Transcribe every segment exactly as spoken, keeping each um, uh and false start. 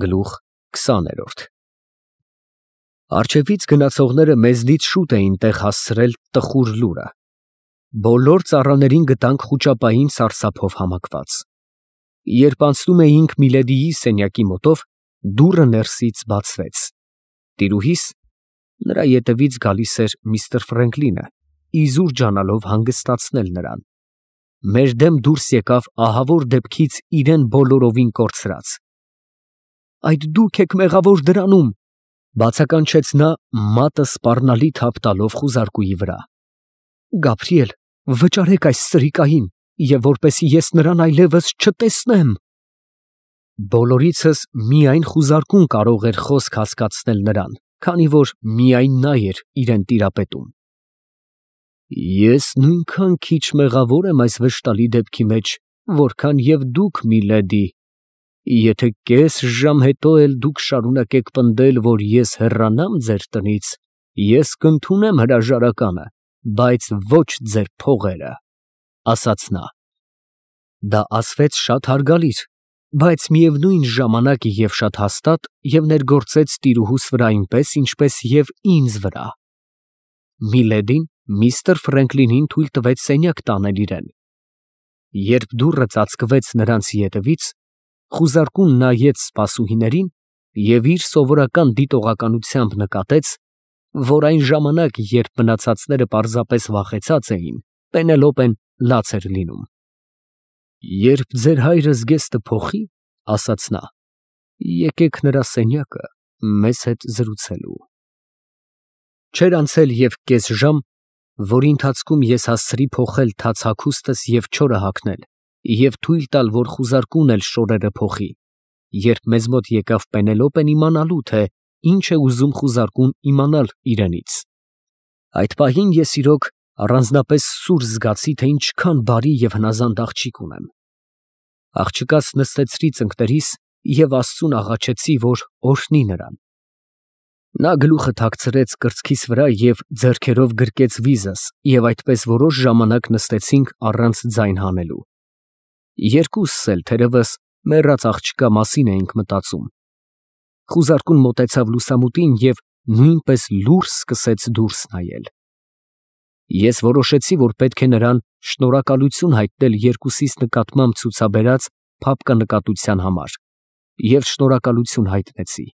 Գլուխ քսաներորդ Արջևից գնացողները մեզնից շուտ էին տեղ հասցրել տխուր լուրը. բոլոր ծառաներին գտանք խուճապային սարսափով համակված։ Երբ անցնում էինք Միլեդիի սենյակի մոտով, դուռը ներսից բացվեց։ Տիրուհիս, նրա ետևից գալիս էր միստր Ֆրենկլինը, իզուր ջանալով հանգստացնել նրան։ Մեր դեմ դուրս եկավ ահավոր դեպքից իրեն բոլորովին կորցրած։ Այդ դուք եք մեղավոր դրանում, բացականչեց նա մատը սպառնալի թափ տալով խուզարկուի վրա։ Գաբրիել, վճարեք այս սրիկային, և որպեսզի ես նրան այլևս չտեսնեմ։ Բոլորիցս միայն խուզարկուն կարող էր խոսք հասկացնել նրան, քանի որ միայն նա էր իրեն տիրապետում։ Ես նույնքան քիչ մեղավոր եմ այս վշտալի դեպքի մեջ, որքան և դուք, միլեդի, եթե կես ժամ հետո էլ դուք շարունակեք պնդել, որ ես հեռանամ ձեր տնից, ես կընդունեմ հրաժարականը, բայց ոչ ձեր փողերը, ֊ ասաց նա։ Դա ասվեց շատ հարգալից, բայց միևնույն ժամանակ և շատ հաստատ և ներգործեց տիրուհուս վրա այնպես, ինչպես և ինձ վրա։ Միլեդին միստր Ֆրենկլինին թույլ տվեց սենյակ տանել իրան։ Երբ դուռը ծածկվեց նրանց ետևից, խուզարկուն նայեց սպասուհիներին և իր սովորական դիտողականությամբ նկատեց, որ այն ժամանակ, երբ մնացածները պարզապես վախեցած էին, Պենելոպեն լաց էր լինում։ Երբ ձեր հայրը զգեստը փոխի, ֊ ասաց նա, ֊ եկեք նրա սենյակը մեզ հետ զրուցելու։ Չէր անցել և կես ժամ, որի ընթացքում ես հասցրի փոխել թաց հագուստս և չորը հագնել և թույլ տալ, որ խուզարկուն էլ շորերը փոխի, երբ մեզ մոտ եկավ Պենելոպեն իմանալու, թե ինչ է ուզում խուզարկուն իմանալ իրենից։ Այդ պահին ես իրոք առանձնապես սուր զգացի, թե ինչքան բարի և հնազանդ աղջիկ ունեմ։ Աղջկաս նստեցրի ծնկներիս և աստծուն աղաչեցի, որ օրհնի նրան։ Նա գլուխը թաքցրեց կրծքիս վրա և ձեռքերով գրկեց վիզս, և այդպես որոշ ժամանակ նստեցինք առանց ձայն հանելու։ Երկուսս էլ, թերևս, մեռած աղջկա մասին էինք մտածում։ Խուզարկուն մոտեցավ լուսամուտին և նույնպես լուռ սկսեց դուրս նայել։ Ես որոշեցի, որ պետք է նրան շնորհակալություն հայտնել երկուսիս նկատմամբ ցուցաբերած փափկանկատության համար, և շնորհակալություն հայտնեցի։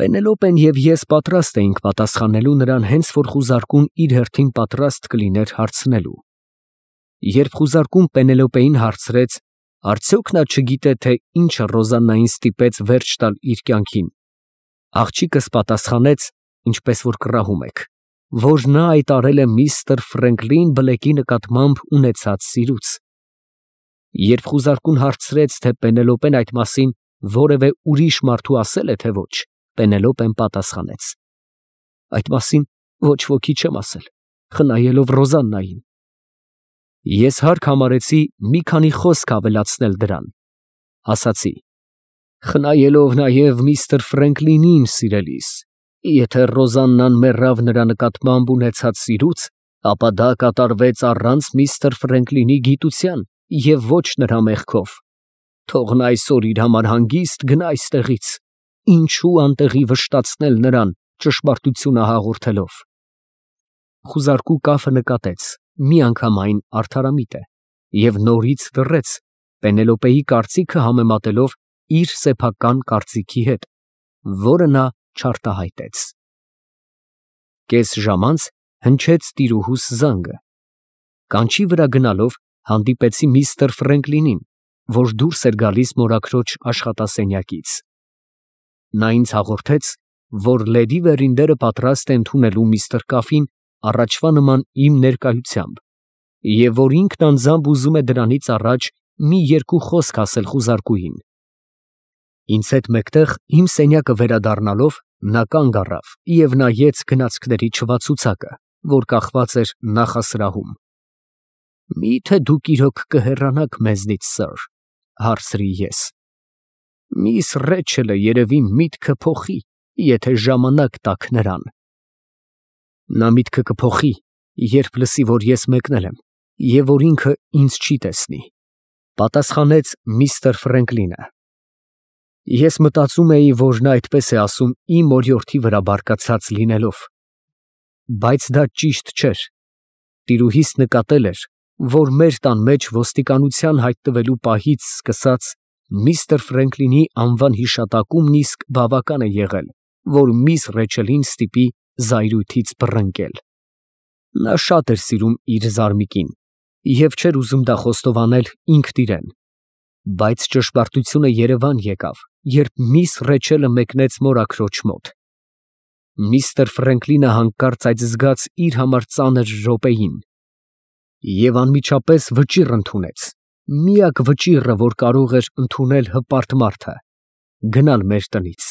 Պենելոպեն և ես պատրաստ էինք պատասխանելու նրան, հենց որ խուզարկուն իր հերթին պատրաստ կլիներ հարցնելու։ Երբ խուզարկուն Պենելոպեին հարցրեց, արդյոք նա չգիտե, թե ինչը Ռոզաննային ստիպեց վերջ տալ իր կյանքին, աղջիկս պատասխանեց, ինչպես որ կռահում եք, որ նա այդ արել է միստր Ֆրենկլին Բլեքի նկատմամբ ունեցած սիրուց։ Երբ խուզարկուն հարցրեց, թե Պենելոպեն այդ մասին որևէ ուրիշ մարդու ասել է, թե ոչ, Պենելոպեն պատասխանեց. այդ մասին ոչ ոքի չեմ ասել, խնայելով Ռոզաննային։ Ես հարկ համարեցի մի քանի խոսք ավելացնել դրան, ասացի. խնայելով նաև միստր Ֆրենկլինին, սիրելիս, եթե Ռոզաննան մեռավ նրա նկատմամբ ունեցած սիրուց, ապա դա կատարվեց առանց միստր Ֆրենկլինի գիտության և ոչ նրա մեղքով։ Թող նա այսօր իր համար հանգիստ գնա այստեղից, ինչու անտեղի վշտացնել նրան, ճշմարտությունը հաղորդելով։ Խուզարկու կապը նկատեց, միանգամայն արդարամիտ է, և նորից լռեց, Պենելոպեի կարծիքը համեմատելով իր սեփական կարծիքի հետ, որը նա չարտահայտեց։ Կես ժամ անց հնչեց տիրուհուս զանգը։ Կանչի վրա գնալով հանդիպեցի միստր Ֆրենկլինին, որ դուրս էր գալիս մորաքրոջ աշխատասենյակից։ Նա ինձ հաղորդեց, որ լեդի Վերինդերը պատրաստ է ընդունելու միստր Կաֆին առաջվա նման իմ ներկայությամբ, և որ ինքն անձամբ ուզում է դրանից առաջ մի երկու խոսք ասել խուզարկուին։ Ինձ հետ մեկտեղ իմ սենյակը վերադառնալով, նա կանգ առավ և նայեց գնացքների չվացուցակը, որ կախված էր նախասրահում։ Մի՞թե դուք իրոք կհեռանաք մեզնից, սըր, ֊ հարցրի ես։ Միս Ռեչելը երևի միտքը փոխի, եթե ժամանակ տաք նրան։ Նա միտքը կփոխի, երբ լսի, որ ես մեկնել եմ, և որ ինքը ինձ չի տեսնի, ֊ պատասխանեց միստր Ֆրենկլինը։ Ես մտածում էի, որ նա այդպես է ասում իմ օրիորդի վրա բարկացած լինելով, բայց դա ճիշտ չէր. տիրուհիս նկատել էր, որ մեր տան մեջ ոստիկանության հայտնվելու պահից սկսած միստր Ֆրենկլինի անվան հիշատակումն իսկ բավական է եղել, որ միս Ռեչելին ստիպի զայրույթից բռնկել. նա շատ էր սիրում իր զարմիկին և չէր ուզում դա խոստովանել ինքն իրան, բայց ճշմարտությունը երևան եկավ, երբ միս Ռեչելը մեկնեց մորաքրոջ մոտ. միստր Ֆրենկլինը հանկարծ այդ զգաց իր համար ծանր րոպեին և անմիջապես վճիռ ընդունեց, միակ վճիռը, որ կարող էր ընդունել հպարտ մարդը, գնալ մեր տնից.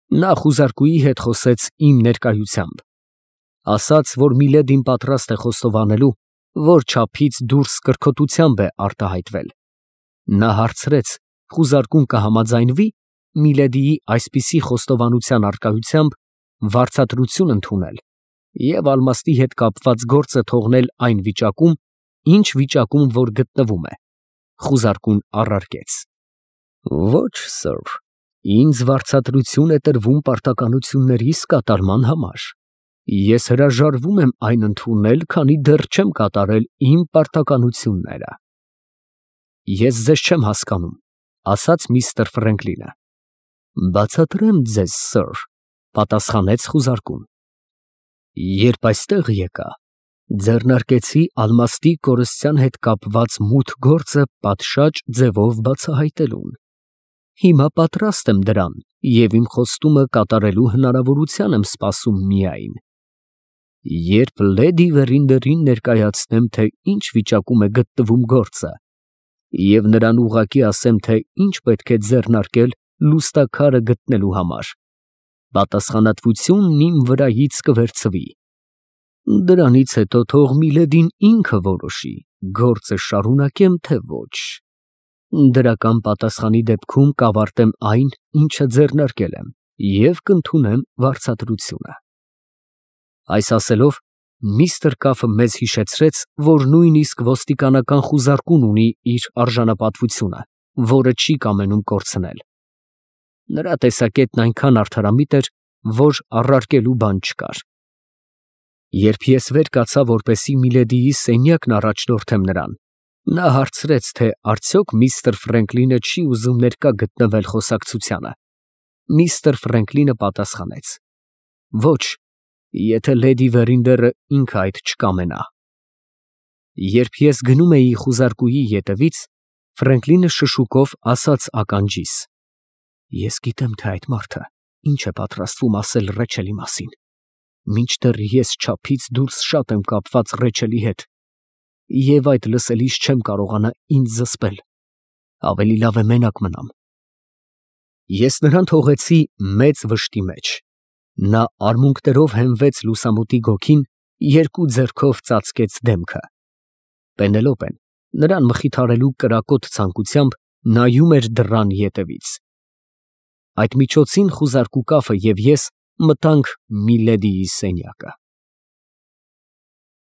նա խուզարկուի հետ խոսեց իմ ներկայությամբ, ասաց, որ Միլեդին պատրաստ է խոստովանելու, որ չափից դուրս կրքոտությամբ է արտահայտվել. նա հարցրեց, խուզարկուն կհամաձայնվի Միլեդիի այսպիսի խոստովանության առկայությամբ վարձատրություն ընդունել և ալմաստի հետ կապված գործը թողնել այն վիճակում, ինչ վիճակում որ գտնվում է. խուզարկուն առարկեց. Ոչ սըր, ինձ վարձատրություն է տրվում պարտականություններիս կատարման համար. ես հրաժարվում եմ այն ընդունել, քանի դեռ չեմ կատարել իմ պարտականությունները։ Ես ձեզ չեմ հասկանում, ասաց միստր Ֆրենկլինը։ Բացատրեմ ձեզ, սըր, պատասխանեց խուզարկուն։ Երբ այստեղ եկա, ձեռնարկեցի ալմաստի կորստյան հետ կապված մութ գործը պատշաճ ձևով բացահայտելուն։ Հիմա պատրաստ եմ դրան և իմ խոստումը կատարելու հնարավորության եմ սպասում միայն, երբ լեդի Վերինդերին ներկայացնեմ, թե ինչ վիճակում է գտնվում գործը, և նրան ուղղակի ասեմ, թե ինչ պետք է ձեռնարկել լուստաքարը գտնելու համար, պատասխանատվությունն իմ վրայից կվերցվի։ Դրանից հետո թող Միլեդին ինքը որոշի, գործը շարունակեմ, թե ոչ։ Դրական պատասխանի դեպքում կավարտեմ այն, ինչը ձեռնարկել եմ, և կընդունեմ վարձատրությունը։ Այս ասելով, միստր Կաֆը մեզ հիշեցրեց, որ նույնիսկ ոստիկանական խուզարկուն ունի իր արժանապատվությունը, որը չի կամենում կորցնել։ Նրա տեսակետն այնքան արդարամիտ էր, որ առարկելու բան չկար։ Երբ ես վեր կացա, որպեսզի Միլեդիի սենյակն առաջնորդեմ նրան, նա հարցրեց, թե արդյոք միստր Ֆրենկլինը չի ուզում ներկա գտնվել խոսակցությանը։ Միստր Ֆրենկլինը պատասխանեց. Ոչ, եթե լեդի Վերինդերը ինքը այդ չկամենա։ Երբ ես գնում էի խուզարկուի ետևից, Ֆրենկլինը շշուկով ասաց ականջիս. Ես գիտեմ, թե այդ մարդը ինչ է պատրաստվում ասել Ռեչելի մասին, մինչդեռ ես չափից դուրս շատ եմ կապված Ռեչելի հետ, և այդ լսելիս չեմ կարողանա ինձ զսպել, ավելի լավ է մենակ մնամ։ Ես նրան թողեցի մեծ վշտի մեջ, նա արմունկներով հենվեց լուսամուտի գոգին, երկու ձեռքով ծածկեց դեմքը։ Պենելոպեն նրան մխիթարելու կրակոտ ցանկությամբ նայում էր դռան ետևից։ Այդ միջոցին խուզարկու Կաֆը և ես մտանք Միլեդիի սենյակը։